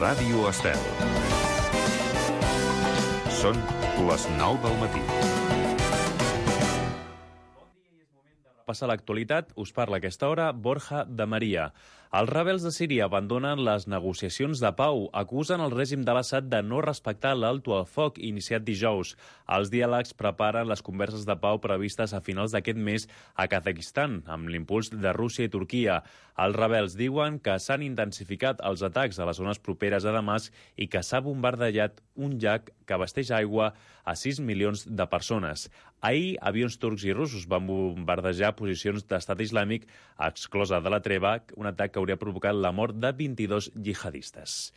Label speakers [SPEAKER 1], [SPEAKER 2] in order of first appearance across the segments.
[SPEAKER 1] Ràdio Estel. Són les 9 del matí.
[SPEAKER 2] Passa l'actualitat, us parla a aquesta hora Borja de Maria. Els rebels de Síria abandonen les negociacions de pau, acusen el règim de l'Assad de no respectar l'alto al foc iniciat dijous. Els diàlegs preparen les converses de pau previstes a finals d'aquest mes a Kazakhstan, amb l'impuls de Rússia i Turquia. Els rebels diuen que s'han intensificat els atacs a les zones properes a Damasc i que s'ha bombardejat un llac que abasteix aigua a 6 milions de persones. Ahir, avions turcs i russos van bombardejar posicions d'estat islàmic, exclosa de la treva, un atac que hauria provocat la mort de 22 jihadistes.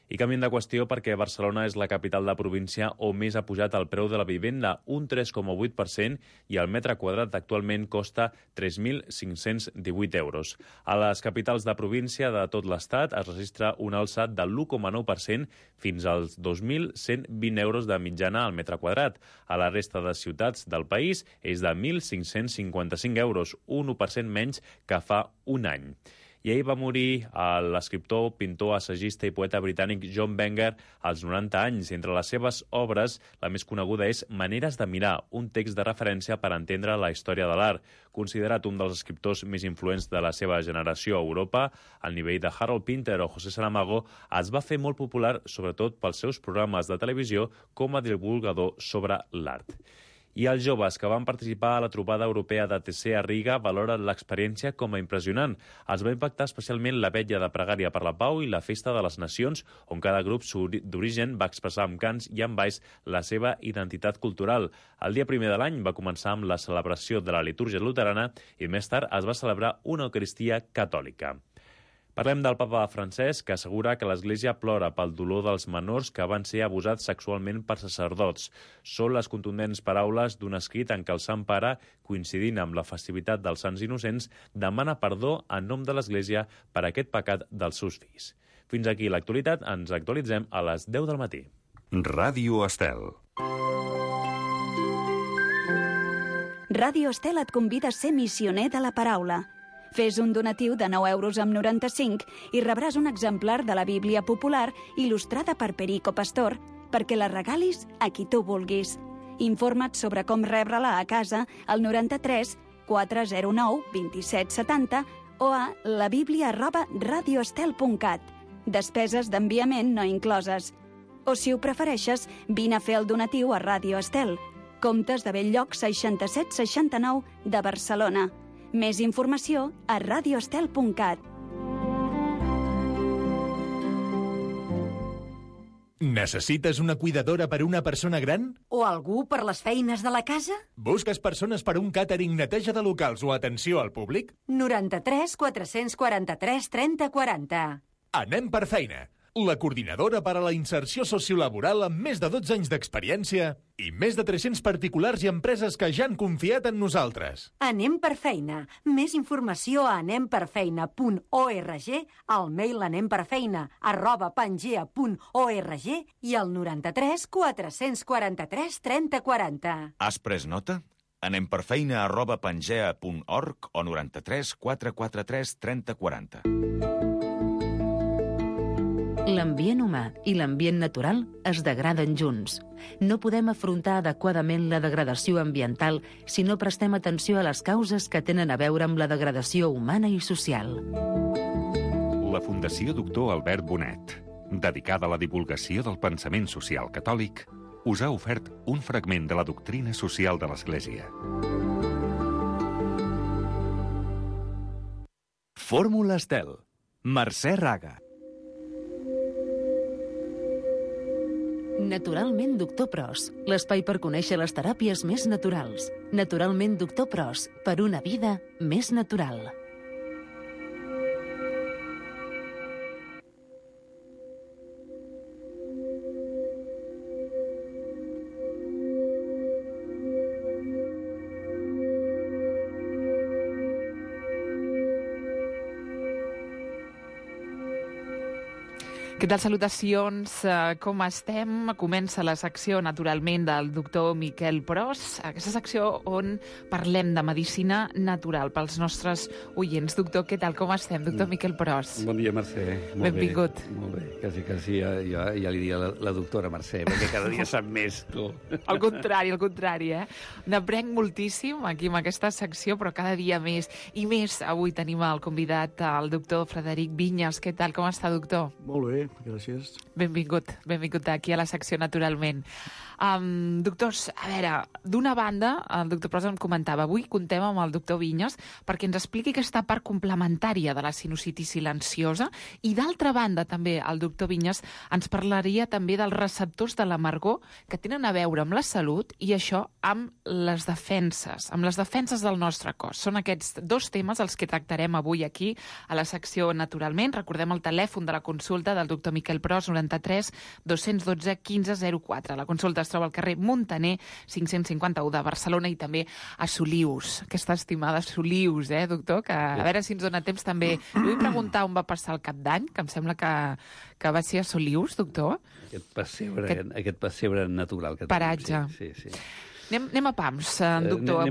[SPEAKER 2] I canviem de qüestió perquè Barcelona és la capital de província on més ha pujat el preu de la vivenda, un 3,8%, i el metre quadrat actualment costa 3.518 euros. A les capitals de província de tot l'Estat es registra un alçat del 1,9% fins als 2.120 euros de mitjana al metre quadrat. A la resta de ciutats del país és de 1.555 euros, un 1% menys que fa un any. I ahir va morir l'escriptor, pintor, assagista i poeta britànic John Benger als 90 anys. Entre les seves obres, la més coneguda és Maneres de mirar, un text de referència per entendre la història de l'art. Considerat un dels escriptors més influents de la seva generació a Europa, al nivell de Harold Pinter o José Saramago, es va fer molt popular sobretot pels seus programes de televisió com a divulgador sobre l'art. I els joves que van participar a la trobada europea de TC a Riga valoren l'experiència com a impressionant. Els va impactar especialment la vetlla de pregària per la pau i la festa de les nacions, on cada grup d'origen va expressar amb cants i amb balls la seva identitat cultural. El dia primer de l'any va començar amb la celebració de la litúrgia luterana i més tard es va celebrar una eucaristia catòlica. Parlem del papa Francesc, que assegura que l'Església plora pel dolor dels menors que van ser abusats sexualment per sacerdots. Són les contundents paraules d'un escrit en què el Sant Pare, coincidint amb la festivitat dels Sants Innocents, demana perdó en nom de l'Església per aquest pecat dels seus fills. Fins aquí l'actualitat, ens actualitzem a les 10 del matí.
[SPEAKER 1] Ràdio Estel.
[SPEAKER 3] Ràdio Estel et convida a ser missioner de la paraula. Fes un donatiu de 9,95 € i rebràs un exemplar de la Bíblia popular il·lustrada per Perico Pastor perquè la regalis a qui tu vulguis. Informa't sobre com rebre-la a casa al 93 409 2770 o a labiblia@radioestel.cat. Despeses d'enviament no incloses. O, si ho prefereixes, vine a fer el donatiu a Ràdio Estel. Comptes de Belllloc 6769 de Barcelona. Més informació a radioestel.cat.
[SPEAKER 4] Necessites una cuidadora per a una persona gran?
[SPEAKER 5] O algú per les feines de la casa?
[SPEAKER 4] Busques persones per a un càtering, neteja de locals o atenció al públic?
[SPEAKER 5] 93 443 30 40.
[SPEAKER 4] Anem per feina. La coordinadora per a la inserció sociolaboral amb més de 12 anys d'experiència i més de 300 particulars i empreses que ja han confiat en nosaltres.
[SPEAKER 5] Anem per feina. Més informació a anemperfeina.org, al mail anemperfeina@pangea.org i al 93 443 30 40.
[SPEAKER 6] Has pres nota? anemperfeina@pangea.org o 93 443 30 40.
[SPEAKER 7] L'ambient humà i l'ambient natural es degraden junts. No podem afrontar adequadament la degradació ambiental si no prestem atenció a les causes que tenen a veure amb la degradació humana i social.
[SPEAKER 1] La Fundació Doctor Albert Bonet, dedicada a la divulgació del pensament social catòlic, us ha ofert un fragment de la doctrina social de l'Església.
[SPEAKER 8] Fórmula Estel. Mercè Raga.
[SPEAKER 7] Naturalment Doctor Pros, l'espai per conèixer les teràpies més naturals. Naturalment Doctor Pros, per una vida més natural.
[SPEAKER 9] Què tal, salutacions? Com estem? Comença la secció, naturalment, del doctor Miquel Pros, aquesta secció on parlem de medicina natural pels nostres oients. Doctor, què tal? Com estem? Doctor Miquel Pros.
[SPEAKER 10] Bon dia, Mercè.
[SPEAKER 9] Benvingut.
[SPEAKER 10] Molt bé. Quasi ja li diria la doctora Mercè, perquè cada dia sap més, tu.
[SPEAKER 9] Al contrari, eh? N'aprenc moltíssim aquí en aquesta secció, però cada dia més. I més, avui tenim el convidat, el doctor Frederic Vinyes. Què tal? Com està, doctor?
[SPEAKER 11] Molt bé, gràcies.
[SPEAKER 9] Benvingut aquí a la secció, naturalment. Doctors, a veure, d'una banda, el doctor Pros em comentava, avui contem amb el doctor Vinyes perquè ens expliqui aquesta part complementària de la sinusitis silenciosa i, d'altra banda, també el doctor Vinyes ens parlaria també dels receptors de l'amargor que tenen a veure amb la salut i això amb les defenses del nostre cos. Són aquests dos temes els que tractarem avui aquí a la secció, naturalment. Recordem el telèfon de la consulta del doctor Miquel Pros, 93 212 1504. La consulta es troba al carrer Muntaner 551 de Barcelona i també a Solius, aquesta estimada Solius, doctor, que a veure si ens dona temps també. Li vull preguntar on va passar el cap d'any, que em sembla que va ser a Solius, doctor.
[SPEAKER 10] Aquest pessebre natural que tenim.
[SPEAKER 9] Paratge.
[SPEAKER 10] Sí.
[SPEAKER 9] Anem a pams, doctor.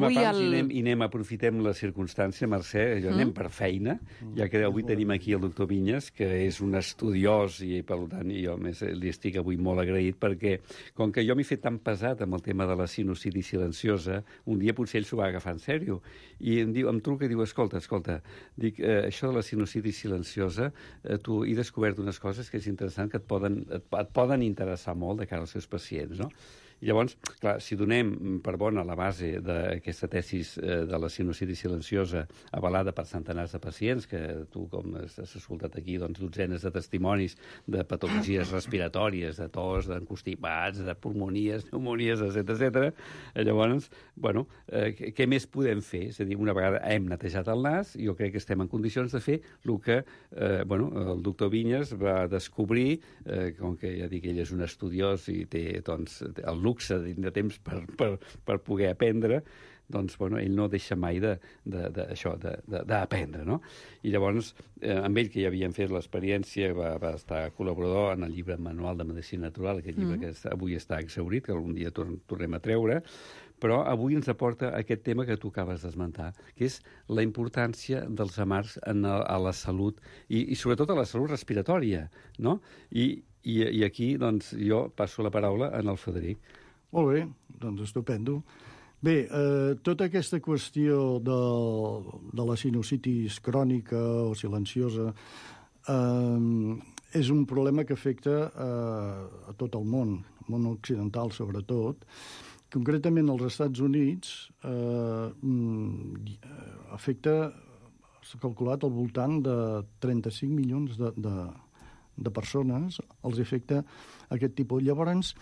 [SPEAKER 10] Aprofitem la circumstància, Mercè, anem per feina, ja que avui tenim aquí el doctor Vinyes, que és un estudiós i, per tant, jo més li estic avui molt agraït, perquè com que jo m'he fet tan pesat amb el tema de la sinusitis silenciosa, un dia potser ell s'ho va agafar en sèrio, i em truca i diu, escolta, dic, això de la sinusitis silenciosa, tu he descobert unes coses que és interessant, que et poden interessar molt de cara als seus pacients, no? I llavors, clar, si donem per bona la base d'aquesta tesis de la sinusitis silenciosa avalada per centenars de pacients, que tu, com has escoltat aquí, doncs, dotzenes de testimonis de patologies respiratòries, de tos, d'encostipats, de pulmonies, pneumonies, etc. Llavors, bueno, què més podem fer? És a dir, una vegada hem netejat el nas, jo crec que estem en condicions de fer el que el doctor Vinyes va descobrir, com que ja dic, ell és un estudiós i té doncs, el luxe de temps per poder aprendre, doncs, ell no deixa mai d'aprendre, no? I llavors, amb ell, que ja havíem fet l'experiència, va estar col·laborador en el llibre Manual de Medicina Natural, aquest llibre que avui està exhaurit, que algun dia tornem a treure, però avui ens aporta aquest tema que tu acabes d'esmentar, que és la importància dels amargs a la salut i sobretot a la salut respiratòria, no? I aquí, doncs, jo passo la paraula al Frederic.
[SPEAKER 11] Molt bé, doncs estupendo. Bé, tota aquesta qüestió de la sinusitis crònica o silenciosa és un problema que afecta a tot el món occidental sobretot. Concretament als Estats Units afecta, s'ha calculat, al voltant de 35 milions de persones els afecta aquest tipus. Llavors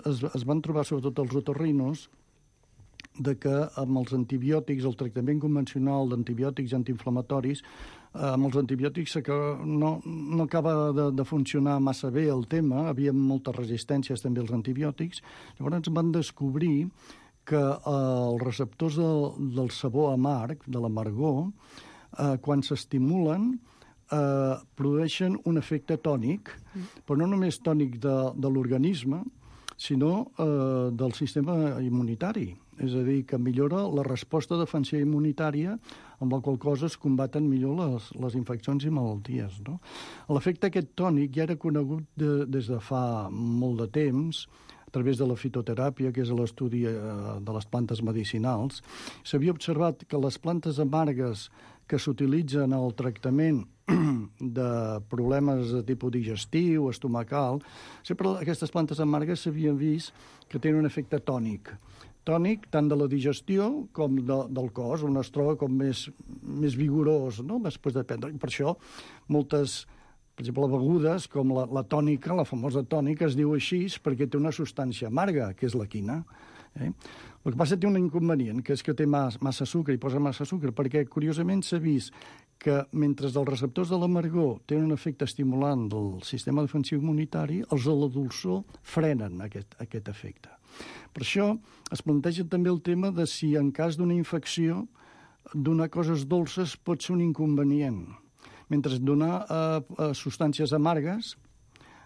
[SPEAKER 11] es van trobar, sobretot els otorrinos, de que amb els antibiòtics, el tractament convencional d'antibiòtics antiinflamatoris, amb els antibiòtics no acaba de funcionar massa bé el tema, havia moltes resistències també als antibiòtics, llavors van descobrir que els receptors del sabor amarg, de l'amargor, quan s'estimulen, produeixen un efecte tònic, però no només tònic de l'organisme, sinó del sistema immunitari. És a dir, que millora la resposta defensiva immunitària, amb la qual cosa es combaten millor les infeccions i malalties, no? L'efecte aquest tònic ja era conegut des de fa molt de temps, a través de la fitoteràpia, que és l'estudi de les plantes medicinals. S'havia observat que les plantes amargues que s'utilitzen al tractament de problemes de tipus digestiu, estomacal, sempre aquestes plantes amargues s'havien vist que tenen un efecte tònic. Tònic tant de la digestió com del cos, on es troba com més vigorós, no?, després de prendre. Per això moltes, per exemple, begudes com la tònica, la famosa tònica, es diu així perquè té una substància amarga, que és la quina. El que passa té un inconvenient, que és que té massa sucre, i posa massa sucre, perquè curiosament s'ha vist que mentre els receptors de l'amargor tenen un efecte estimulant del sistema defensiu immunitari, els de la dolçor frenen aquest efecte. Per això es planteja també el tema de si en cas d'una infecció donar coses dolces pot ser un inconvenient. Mentre donar substàncies amargues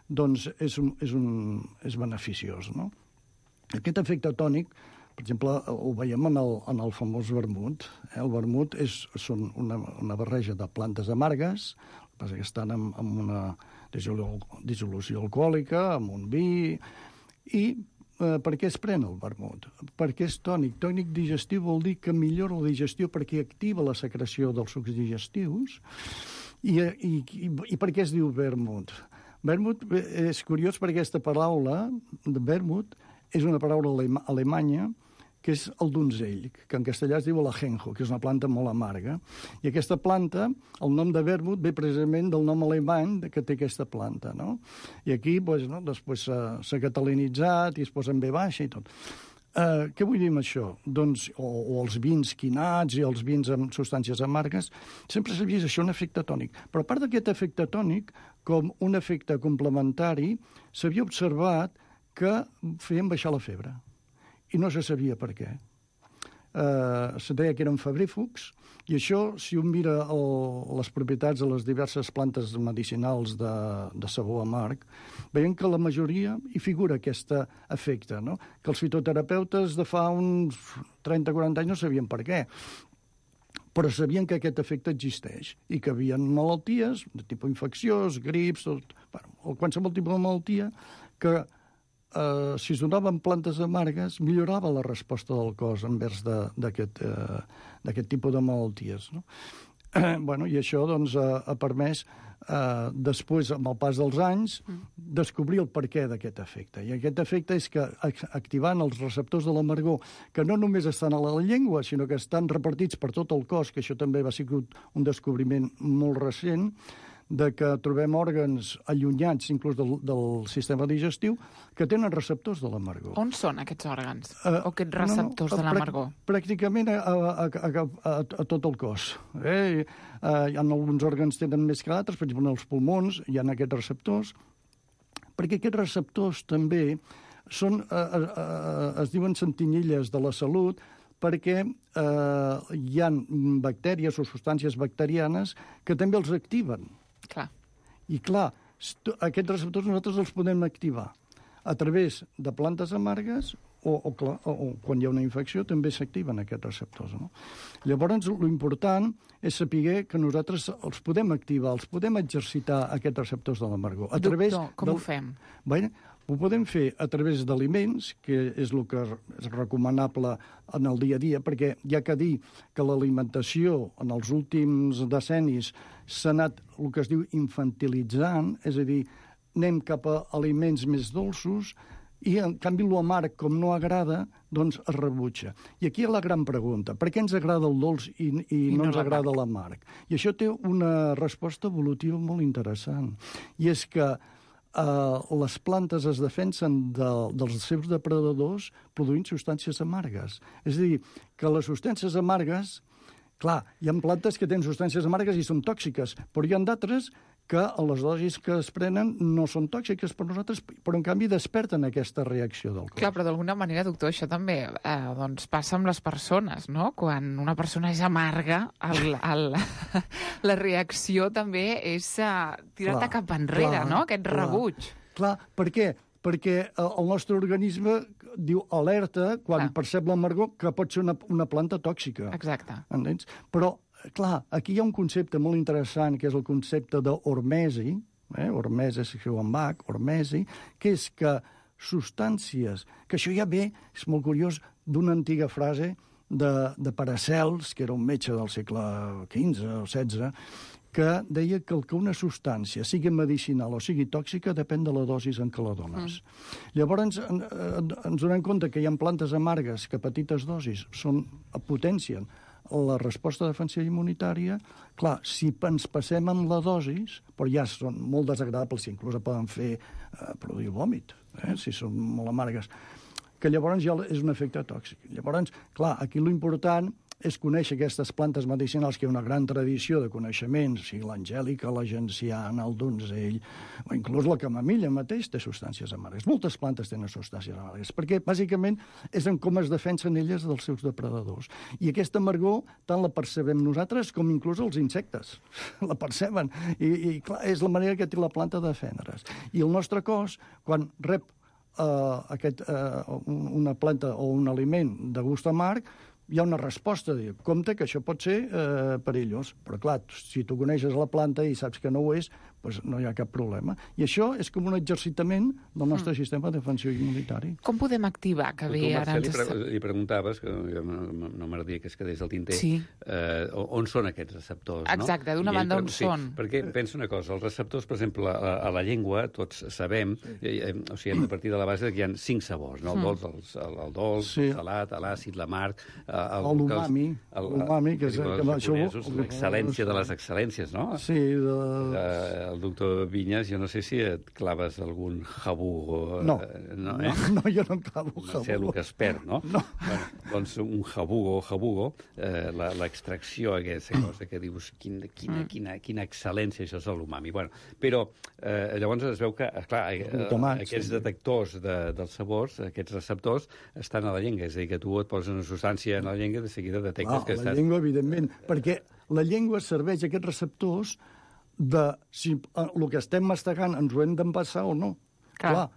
[SPEAKER 11] doncs és beneficiós, no? Aquest efecte tònic, per exemple, ho veiem en el famós vermut. El vermut són una barreja de plantes amargues, el que passa que estan amb una dissolució alcohòlica, amb un vi, i per què es pren el vermut? Perquè és tònic. Tònic digestiu vol dir que millora la digestió perquè activa la secreció dels sucs digestius. I per què es diu vermut? Vermut és curiós perquè aquesta paraula de vermut és una paraula alemanya que és el donzell, que en castellà es diu l'ajenjo, que és una planta molt amarga. I aquesta planta, el nom de vermut ve precisament del nom alemany que té aquesta planta, no? I aquí, després s'ha catalinitzat i es posa en V baixa i tot. Què vull dir amb això? Doncs, o els vins quinats i els vins amb substàncies amargues, sempre s'ha vist això un efecte tònic. Però a part d'aquest efecte tònic, com un efecte complementari, s'havia observat que feien baixar la febre. I no se sabia per què. Se deia que eren febrífugs, i això, si un mira les propietats de les diverses plantes medicinals de sabor amarg, veiem que la majoria hi figura aquest efecte, no? Que els fitoterapeutes de fa uns 30-40 anys no sabien per què, però sabien que aquest efecte existeix i que hi havia malalties de tipus infecciós, grips, o qualsevol tipus de malaltia que si es donaven plantes amargues, millorava la resposta del cos envers d'aquest tipus de malalties, no? I això doncs, ha permès, després, amb el pas dels anys, descobrir el perquè d'aquest efecte. I aquest efecte és que, activant els receptors de l'amargor, que no només estan a la llengua, sinó que estan repartits per tot el cos, que això també va ser un descobriment molt recent, de que trobem òrgans allunyats, inclús del sistema digestiu, que tenen receptors de l'amargor.
[SPEAKER 9] On són aquests òrgans? O aquests receptors de l'amargor?
[SPEAKER 11] Pràcticament a tot el cos. Hi ha alguns òrgans que tenen més que altres, per exemple, els pulmons hi ha aquests receptors, perquè aquests receptors també es diuen sentinelles de la salut, perquè hi ha bactèries o substàncies bacterianes que també els activen.
[SPEAKER 9] Clar.
[SPEAKER 11] I clar, aquests receptors nosaltres els podem activar a través de plantes amargues o quan hi ha una infecció també s'activen aquests receptors, no? Llavors, l'important és saber que nosaltres els podem activar, els podem exercitar aquests receptors de l'amargor.
[SPEAKER 9] Doctor, com ho fem?
[SPEAKER 11] Ho podem fer a través d'aliments, que és el que és recomanable en el dia a dia, perquè hi ha que dir que l'alimentació en els últims decennis s'ha anat el que es diu infantilitzant, és a dir, anem cap a aliments més dolços i, en canvi, l'amarg, com no agrada, doncs es rebutja. I aquí hi ha la gran pregunta. Per què ens agrada el dolç i no ens agrada l'amarg? I això té una resposta evolutiva molt interessant. I és que les plantes es defensen dels seus depredadors produint substàncies amargues. És a dir, que les substàncies amargues, clar, hi ha plantes que tenen substàncies amargues i són tòxiques, però hi ha d'altres que a les dosis que es prenen no són tòxiques per nosaltres, però en canvi desperten aquesta reacció del cos.
[SPEAKER 9] Clar, però d'alguna manera, doctor, això també doncs passa amb les persones, no? Quan una persona és amarga, la reacció també és tirar-te cap enrere, no? Aquest rebuig.
[SPEAKER 11] Clar, per què? Perquè el nostre organisme diu alerta quan percep l'amargor que pot ser una planta tòxica.
[SPEAKER 9] Exacte.
[SPEAKER 11] Entens? Però clar, aquí hi ha un concepte molt interessant, que és el concepte d'hormesi, hormesi, escriu en Bach, hormesi, que és que substàncies, que això ja ve, és molt curiós, d'una antiga frase de Paracels, que era un metge del segle XV o XVI, que deia que una substància, sigui medicinal o sigui tòxica, depèn de la dosis en què la dones. Llavors, ens donem compte que hi ha plantes amargues que a petites dosis potencien la resposta defensiva immunitària. Clar, si ens passem amb la dosis, però ja són molt desagradables, si inclús poden produir vòmit, si són molt amargues, que llavors ja és un efecte tòxic. Llavors, clar, aquí l'important és conèixer aquestes plantes medicinals, que hi ha una gran tradició de coneixements, o sigui, l'angèlica, la genciana, el donzell, o inclús la camamilla mateix té substàncies amargues. Moltes plantes tenen substàncies amargues, perquè bàsicament és en com es defensen elles dels seus depredadors. I aquesta amargor tant la percebem nosaltres com inclús els insectes. La perceben. I clar, és la manera que té la planta de defendre's. I el nostre cos, quan rep una planta o un aliment de gust amarg, hi ha una resposta, de dir, compte que això pot ser perillós. Però clar, si tu coneixes la planta i saps que no ho és, doncs no hi ha cap problema. I això és com un exercitament del nostre sistema de defensa immunitari.
[SPEAKER 9] Com podem activar que bé ara ens...
[SPEAKER 10] Li preguntaves, que no m'agradaria que es quedés al tinter, on són aquests receptors, no?
[SPEAKER 9] Exacte, d'una banda on són.
[SPEAKER 10] Perquè penso una cosa, els receptors, per exemple, a la llengua, tots sabem, o sigui, hem de partir de la base que hi ha 5 sabors, no? El dolç, el salat, l'àcid, l'amarg...
[SPEAKER 11] L'umami, que és...
[SPEAKER 10] L'excel·lència de les excel·lències, no?
[SPEAKER 11] Sí,
[SPEAKER 10] el doctor Vinyes, jo no sé si et claves algun jabugo.
[SPEAKER 11] No, jo no em clavo jabugo.
[SPEAKER 10] No sé el que es perd, no?
[SPEAKER 11] No.
[SPEAKER 10] Bueno, doncs un jabugo, l'extracció aquesta cosa que dius, quina excel·lència, això és l'umami. Bueno, però llavors es veu que, esclar, aquests detectors dels sabors, aquests receptors, estan a la llengua, és a dir, que tu et poses una substància en la llengua i de seguida detectes que estàs...
[SPEAKER 11] La llengua, evidentment, perquè la llengua serveix aquests receptors de si el que estem mastegant ens ho hem d'empassar o no. Clar,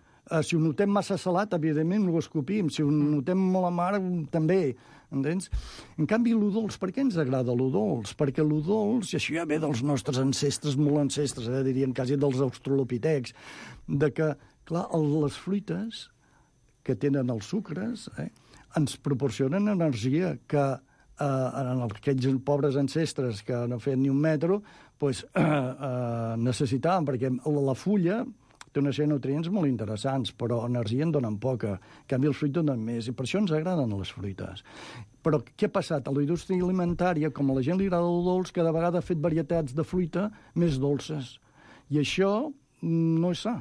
[SPEAKER 11] si ho notem massa salat, evidentment ho escopim. Si ho notem molt amarg, també. Entens? En canvi, lo dolç, per què ens agrada lo dolç? Perquè lo dolç, i això ja ve dels nostres ancestres, molt ancestres, diríem quasi dels australopitecs, de que, clar, les fruites que tenen els sucres ens proporcionen energia que en aquells pobres ancestres que no feien ni un metro necessitaven, perquè la fulla té una sèrie de nutrients molt interessants, però energia en donen poca. En canvi, els fruits donen més, i per això ens agraden les fruites. Però què ha passat? A la indústria alimentària, com a la gent li agrada el dolç, cada vegada ha fet varietats de fruita més dolces. I això no és sa.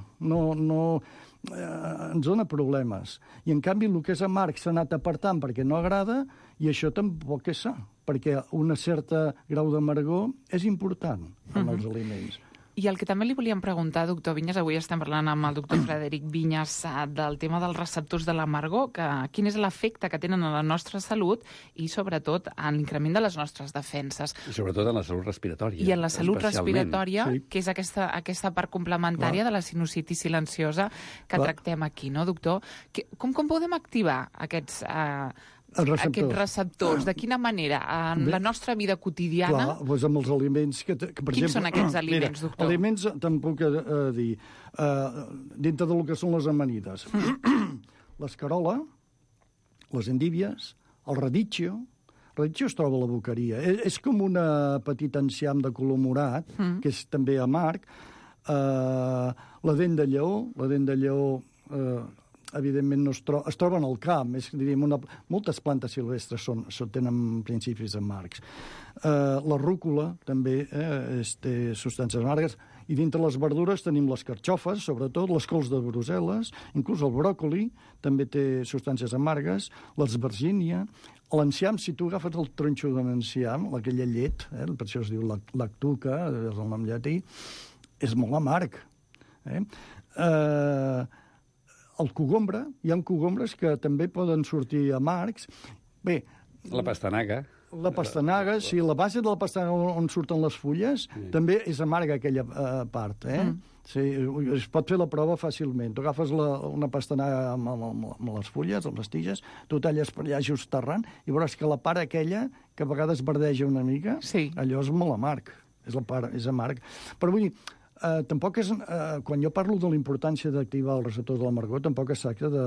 [SPEAKER 11] Ens dona problemes. I, en canvi, el que és amarg s'ha anat apartant perquè no agrada, i això tampoc és sa, perquè un cert grau d'amargor és important en els aliments.
[SPEAKER 9] I el que també li volíem preguntar, doctor Vinyes, avui estem parlant amb el doctor Frederic Vinyes del tema dels receptors de l'amargor, quin és l'efecte que tenen en la nostra salut i, sobretot, en l'increment de les nostres defenses.
[SPEAKER 10] I, sobretot, en la salut respiratòria.
[SPEAKER 9] I en la salut respiratòria, que és aquesta part complementària de la sinusitis silenciosa que tractem aquí, no, doctor? Com podem activar aquests receptors? De quina manera? En la nostra vida quotidiana?
[SPEAKER 11] Clar, doncs amb els aliments que per
[SPEAKER 9] exemple... Quins són aquests aliments, doctor?
[SPEAKER 11] Aliments, tampoc dir, dintre del que són les amanides. L'escarola, les endívies, el radicchio. El radicchio es troba a la boqueria. És com una petita enciam de color morat, que és també amarg. La dent de lleó, evidentment es troben al camp, diríem, moltes plantes silvestres tenen principis amargs. La rúcula també té substàncies amargues, i dintre les verdures tenim les carxofes, sobretot, les cols de Brussel·les, inclús el bròcoli també té substàncies amargues, l'esvergínia, l'enciam, si tu agafes el tronxo de l'enciam, aquella llet, per això es diu lactuca, és el nom llatí, és molt amarg. El cogombre, hi ha cogombres que també poden sortir amargs. Bé...
[SPEAKER 10] La pastanaga.
[SPEAKER 11] La pastanaga, sí, la base de la pastanaga on surten les fulles, també és amarga aquella part, Sí, es pot fer la prova fàcilment. Tu agafes una pastanaga amb les fulles, amb les tiges, tu talles per allà just terrant, i veuràs que la part aquella, que a vegades verdeja una mica, allò és molt amarg. És amarg. Però vull dir, tampoc és... Quan jo parlo de la importància d'activar els receptors de l'amargor, tampoc es tracta de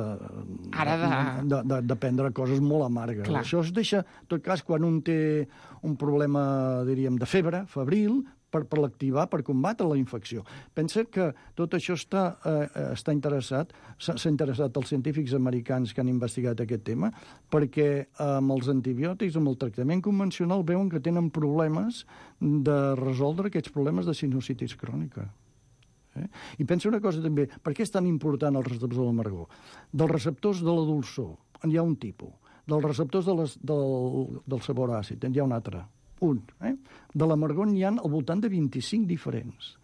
[SPEAKER 11] prendre coses molt amargues. Clar. Això es deixa, en tot cas, quan un té un problema, diríem, de febre, febril, per l'activar, per combatre la infecció. Pensa que tot això està interessat, s'ha interessat els científics americans que han investigat aquest tema, perquè amb els antibiòtics, amb el tractament convencional, veuen que tenen problemes de resoldre aquests problemes de sinusitis crònica. I pensa una cosa també, per què és tan important els receptors de l'amargor? Dels receptors de la dolçor, hi ha un tipus. dels receptors del sabor àcid, hi ha un altre. De l'amargor n'hi ha al voltant de 25 diferents.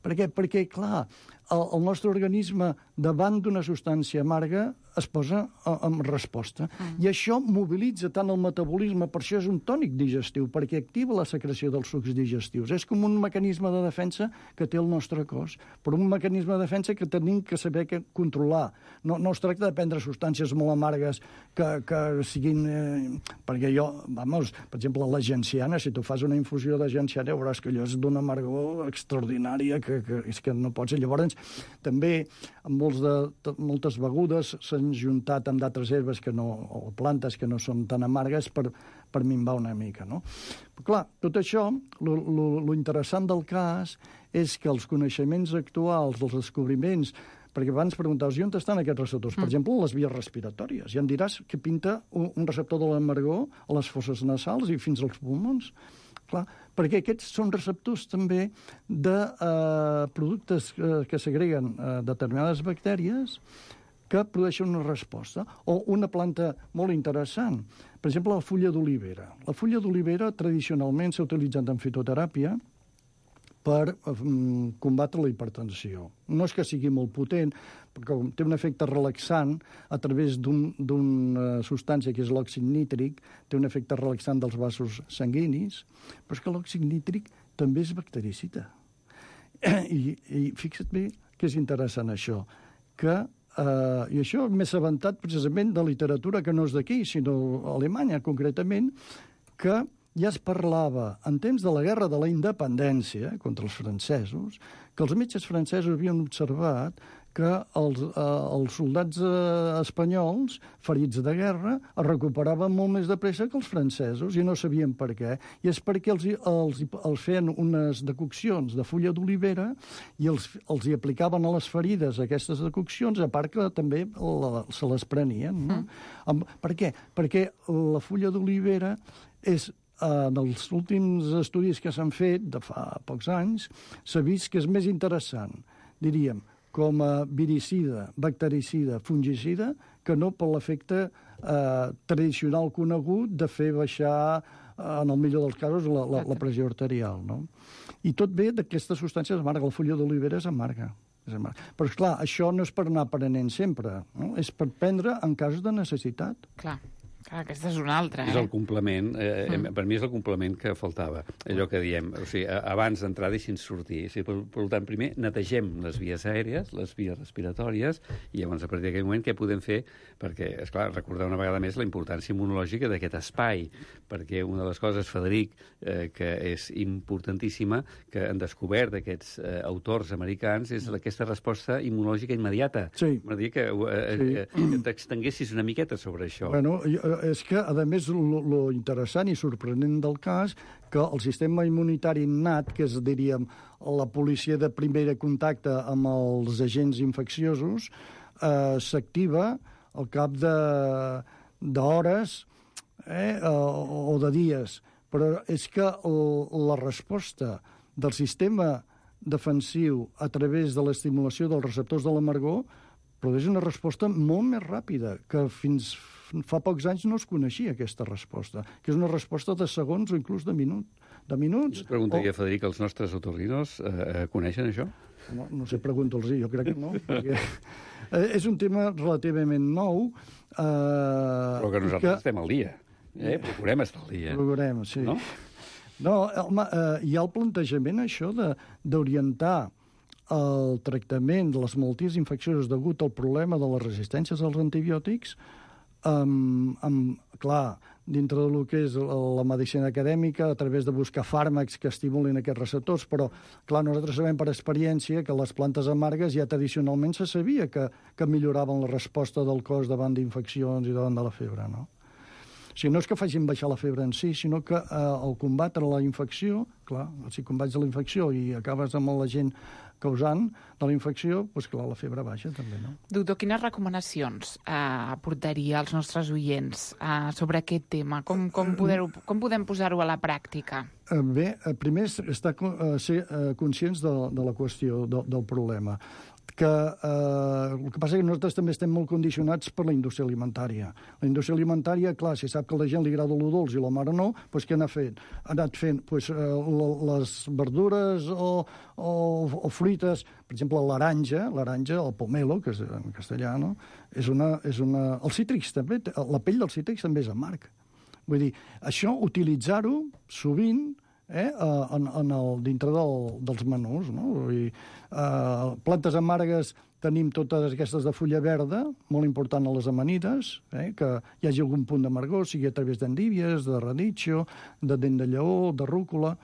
[SPEAKER 11] Per què? Perquè, clar, el nostre organisme, davant d'una substància amarga, es posa en resposta. I això mobilitza tant el metabolisme, per això és un tònic digestiu, perquè activa la secreció dels sucs digestius. És com un mecanisme de defensa que té el nostre cos, però un mecanisme de defensa que tenim que saber controlar. No es tracta de prendre substàncies molt amargues que siguin... perquè per exemple, la genciana, si tu fas una infusió de genciana, veuràs que allò és d'una amargor extraordinària, que és que no pots... Llavors, també, amb moltes begudes s'han juntat amb d'altres herbes o plantes que no són tan amargues per minvar una mica, no? Però, clar, tot això, lo interessant del cas és que els coneixements actuals, els descobriments, perquè abans preguntaves, on estan aquests receptors? Per exemple, les vies respiratòries. Ja em diràs que pinta un receptor de l'amargor a les fosses nasals i fins als pulmons. Clar, perquè aquests són receptors també de productes que segreguen determinades bactèries que produeixen una resposta. O una planta molt interessant, per exemple, la fulla d'olivera. La fulla d'olivera tradicionalment s'ha utilitzat en fitoteràpia per combatre la hipertensió. No és que sigui molt potent, perquè té un efecte relaxant a través d'una substància que és l'òxid nítric, té un efecte relaxant dels vasos sanguinis, però és que l'òxid nítric també és bactericida. I fixa't bé que és interessant això, que i això m'he assabentat precisament de literatura que no és d'aquí, sinó Alemanya, concretament, que ja es parlava, en temps de la Guerra de la Independència contra els francesos, que els metges francesos havien observat que els soldats espanyols, ferits de guerra, es recuperaven molt més de pressa que els francesos, i no sabien per què. I és perquè els feien unes decoccions de fulla d'olivera i els hi aplicaven a les ferides aquestes decoccions, a part que també se les prenien. No? Per què? Perquè la fulla d'olivera és... En els últims estudis que s'han fet, de fa pocs anys, s'ha vist que és més interessant, diríem, com a viricida, bactericida, fungicida, que no per l'efecte tradicional conegut de fer baixar, en el millor dels casos, la pressió arterial. No? I tot ve d'aquestes substàncies amargues. La fulla d'olivera és amarga. Però, esclar, això no és per anar aprenent sempre, no? És per prendre en casos de necessitat.
[SPEAKER 9] Clar. Aquesta és una altra,
[SPEAKER 10] És el complement, per mi és el complement que faltava, allò que diem, o sigui, abans d'entrar deixin sortir. O sigui, per tant, primer netegem les vies aèries, les vies respiratòries, i llavors a partir d'aquell moment què podem fer? Perquè, esclar, recordar una vegada més la importància immunològica d'aquest espai, perquè una de les coses, Frederic, que és importantíssima, que han descobert aquests autors americans, és aquesta resposta immunològica immediata.
[SPEAKER 11] Sí.
[SPEAKER 10] M'agradaria que t'extenguessis una miqueta sobre això.
[SPEAKER 11] Bueno, és que, a més, lo interessant i sorprenent del cas, que el sistema immunitari innat, que és, diríem, la policia de primer contacte amb els agents infecciosos, s'activa al cap d'hores o de dies. Però és que la resposta del sistema defensiu a través de l'estimulació dels receptors de l'amargor produeix una resposta molt més ràpida, que fins fa pocs anys no es coneixia aquesta resposta, que és una resposta de segons o inclús de minuts.
[SPEAKER 10] Jo preguntaria, Frederic, els nostres otorrinos coneixen això?
[SPEAKER 11] No sé, pregunta'ls, jo crec que no, perquè és un tema relativament nou.
[SPEAKER 10] Però que nosaltres estem al dia, procurem estar al dia.
[SPEAKER 11] Procurem, sí. No, home, hi ha el plantejament, això, d'orientar el tractament de les malalties infeccioses degut al problema de les resistències als antibiòtics, clar, dintre del que és la medicina acadèmica, a través de buscar fàrmacs que estimulin aquests receptors, però, clar, nosaltres sabem per experiència que les plantes amargues ja tradicionalment se sabia que milloraven la resposta del cos davant d'infeccions i davant de la febre, no? O sigui, no és que facin baixar la febre en si, sinó que al combatre la infecció, clar, si combats la infecció i acabes amb l'agent causant de la infecció, doncs clar, la febre baixa també, no?
[SPEAKER 9] Doctor, quines recomanacions aportaria als nostres oients sobre aquest tema? Com podem posar-ho a la pràctica?
[SPEAKER 11] Bé, primer ser conscients de la qüestió, del problema. el que passa és que nosaltres també estem molt condicionats per la indústria alimentària. La indústria alimentària, clar, si sap que a la gent li agrada lo dolç i la mare no, doncs què ha fet? Ha anat fent les verdures o fruites, per exemple, l'aranja, el pomelo, que és en castellà, no? Els cítrics també, la pell dels cítrics també és amarg. Vull dir, això, utilitzar-ho sovint dintre dels menús, no? Vull dir, plantes amargues tenim totes aquestes de fulla verda, molt important a les amanides, que hi hagi algun punt d'amargor, sigui a través d'endívies, de radicchio, de dent de lleó, de rúcula,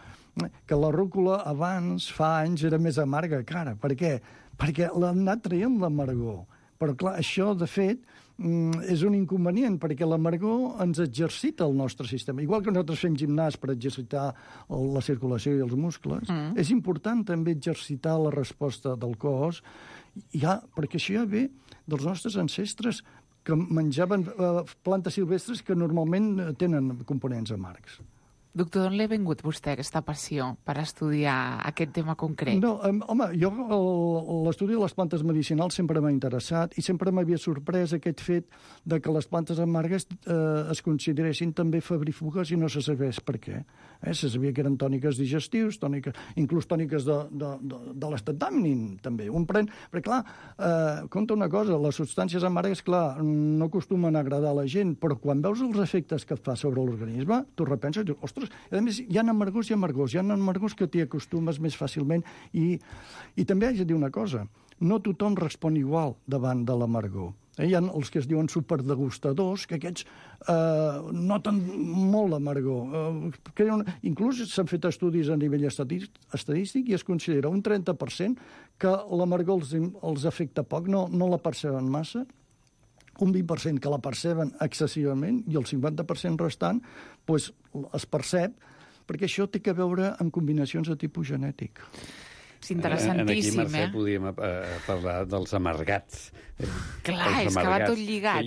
[SPEAKER 11] que la rúcula abans, fa anys, era més amarga que ara. Per què? Perquè l'han anat traient l'amargor. Però, clar, això, de fet, és un inconvenient, perquè l'amargor ens exercita el nostre sistema. Igual que nosaltres fem gimnàs per exercitar la circulació i els muscles, és important també exercitar la resposta del cos, perquè això ja ve dels nostres ancestres que menjaven plantes silvestres que normalment tenen components amargs.
[SPEAKER 9] Doctor, d'on l'ha vingut vostè, aquesta passió per estudiar aquest tema concret?
[SPEAKER 11] No, home, jo l'estudi de les plantes medicinals sempre m'ha interessat i sempre m'havia sorprès aquest fet de que les plantes amargues es consideressin també febrífugues i no se sabés per què. Se sabia que eren tòniques digestius, inclús tòniques de l'estat d'ànim, també. Un pren... Perquè, clar, compta una cosa, les substàncies amargues, clar, no acostumen a agradar a la gent, però quan veus els efectes que fa sobre l'organisme, tu repenses i dius, ostres, a més, hi ha amargors i amargors. Hi ha amargors que t'hi acostumes més fàcilment i també haig de dir una cosa, no tothom respon igual davant de l'amargor. Hi ha els que es diuen superdegustadors, que aquests noten molt l'amargor. Inclús s'han fet estudis a nivell estadístic i es considera un 30% que l'amargor els afecta poc, no la perceben massa, un 20% que la perceben excessivament i el 50% restant es percep, perquè això té a veure amb combinacions de tipus genètic.
[SPEAKER 9] És interessantíssim,
[SPEAKER 10] Aquí, Mercè, podríem parlar dels amargats.
[SPEAKER 9] Clar, és que va tot lligat,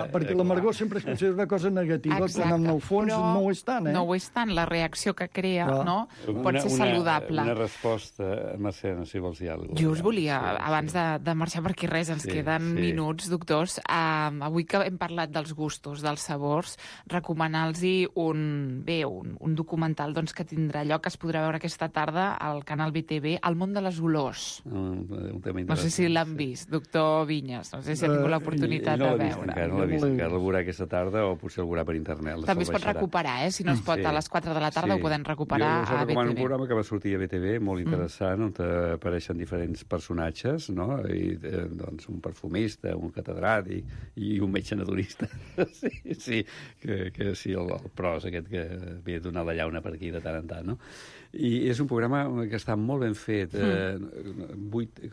[SPEAKER 11] perquè l'amargor sempre es considera una cosa negativa, quan en el fons no ho és tant,
[SPEAKER 9] No ho és tant, la reacció que crea, no? Pot ser saludable.
[SPEAKER 10] Una resposta, Mercè, no sé si vols dir alguna cosa.
[SPEAKER 9] Jo us volia, abans de marxar, perquè res, ens queden minuts, doctors, avui que hem parlat dels gustos, dels sabors, recomanar-los un documental que tindrà lloc, que es podrà veure aquesta tarda al canal BTV, El món de les olors. No sé si l'han vist, doctor Vinyes, no sé si ha tingut l'oportunitat de veure.
[SPEAKER 10] No l'ha vist encara, el veurà aquesta tarda o potser el veurà per internet.
[SPEAKER 9] També es pot recuperar, si no es pot a les 4 de la tarda ho podem recuperar a BTV.
[SPEAKER 10] Jo us recomano un programa que va sortir a BTV, molt interessant, on apareixen diferents personatges, no? Un perfumista, un catedràtic i un metge naturista. Sí, el pros aquest que havia de donar la llauna per aquí de tant en tant, no? I és un programa que està molt ben fet, 8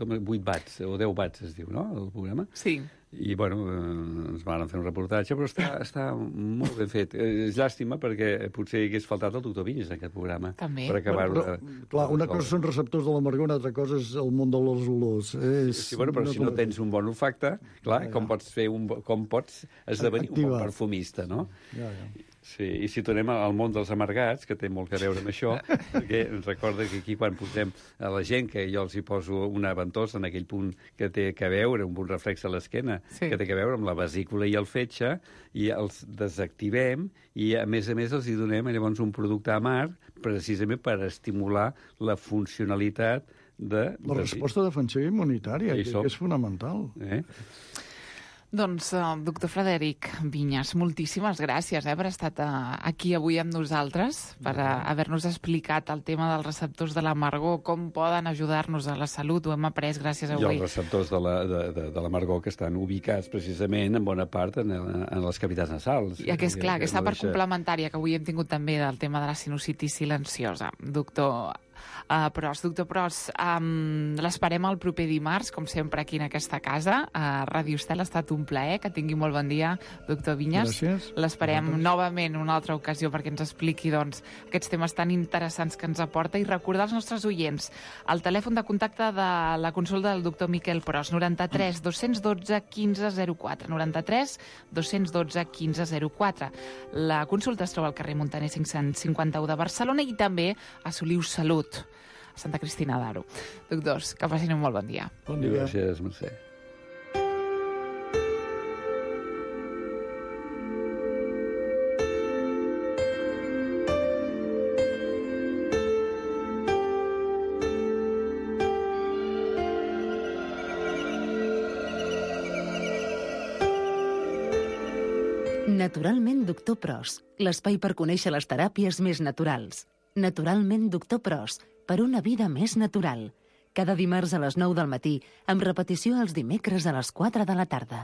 [SPEAKER 10] watts, o 10 watts es diu, no?, el programa?
[SPEAKER 9] Sí.
[SPEAKER 10] I, ens van fer un reportatge, però està molt ben fet. És llàstima perquè potser hagués faltat el doctor Vinyes en aquest programa.
[SPEAKER 9] També.
[SPEAKER 10] Per acabar-ho.
[SPEAKER 11] Clar, una cosa són receptors de l'amargor, una altra cosa és el món de les olors.
[SPEAKER 10] Sí, però si no tens un bon olfacte, clar, com pots esdevenir un bon perfumista, no?
[SPEAKER 11] Ja.
[SPEAKER 10] Sí, i si tornem al món dels amargats, que té molt a veure amb això, perquè ens recorda que aquí quan posem a la gent, que jo els hi poso una ventosa en aquell punt que té a veure, un punt reflex a l'esquena, que té a veure amb la vesícula i el fetge, i els desactivem, i a més els hi donem llavors un producte amarg, precisament per estimular la funcionalitat de...
[SPEAKER 11] La resposta defensiva immunitària, que és fonamental.
[SPEAKER 9] Doncs, doctor Frederic Vinyes, moltíssimes gràcies per estar aquí avui amb nosaltres, per haver-nos explicat el tema dels receptors de l'amargor, com poden ajudar-nos a la salut, ho hem après gràcies a avui.
[SPEAKER 10] I els receptors de l'amargor que estan ubicats precisament en bona part en les cavitats nasals.
[SPEAKER 9] I que és clar, aquesta part complementària que avui hem tingut també del tema de la sinusitis silenciosa. Doctor Pros, l'esperem el proper dimarts, com sempre, aquí en aquesta casa. Ràdio Estel ha estat un plaer, que tingui molt bon dia, doctor Vinyes.
[SPEAKER 11] Gràcies.
[SPEAKER 9] L'esperem novament una altra ocasió perquè ens expliqui aquests temes tan interessants que ens aporta i recordar als nostres oients el telèfon de contacte de la consulta del doctor Miquel Pros, 93 212 1504, 93 212 1504. La consulta es troba al carrer Montaner 551 de Barcelona i també a Soliu Salut, Santa Cristina d'Aro. Doctors, que passin un molt bon dia.
[SPEAKER 11] Bon dia.
[SPEAKER 10] Gràcies, Mercè.
[SPEAKER 7] Naturalment Doctor Pros, l'espai per conèixer les teràpies més naturals. Naturalment Doctor Pros, per una vida més natural. Cada dimarts a les 9 del matí, amb repetició els dimecres a les 4 de la tarda.